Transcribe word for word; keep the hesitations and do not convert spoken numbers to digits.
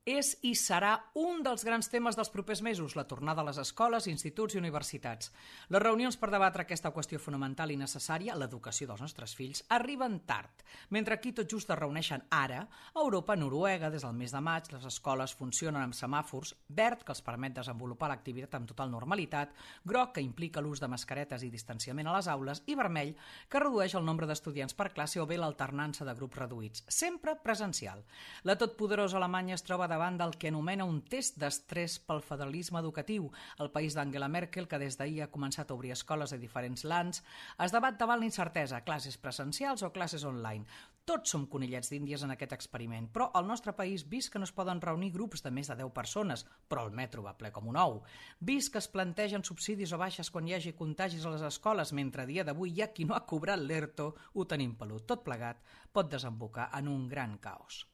És i serà un dels grans temes dels propers mesos, la tornada a les escoles, instituts i universitats. Les reunions per debatre aquesta qüestió fonamental i necessària, l'educació dels nostres fills, arriben tard. Mentre aquí tot just es reuneixen ara, a Europa, a Noruega, des del mes de maig, les escoles funcionen amb semàfors, verd, que els permet desenvolupar l'activitat amb total normalitat, groc, que implica l'ús de mascaretes i distanciament a les aules, i vermell, que redueix el nombre d'estudiants per classe o bé l'alternança de grups reduïts, sempre presencial. La totpoderosa Alemanya es troba davant del que anomena un test d'estrès pel federalisme educatiu. El país d'Angela Merkel, que des d'ahir ha començat a obrir escoles a diferents lands, es debat davant la incertesa, classes presencials o classes online. Tots som conillets d'índies en aquest experiment, però al nostre país, vist que no es poden reunir grups de més de deu persones, però el metro va ple com un ou, vist que es plantegen subsidis o baixes quan hi hagi contagis a les escoles, mentre a dia d'avui hi ha qui no ha cobrat l'ERTO, ho tenim pelut. Tot plegat pot desembocar en un gran caos.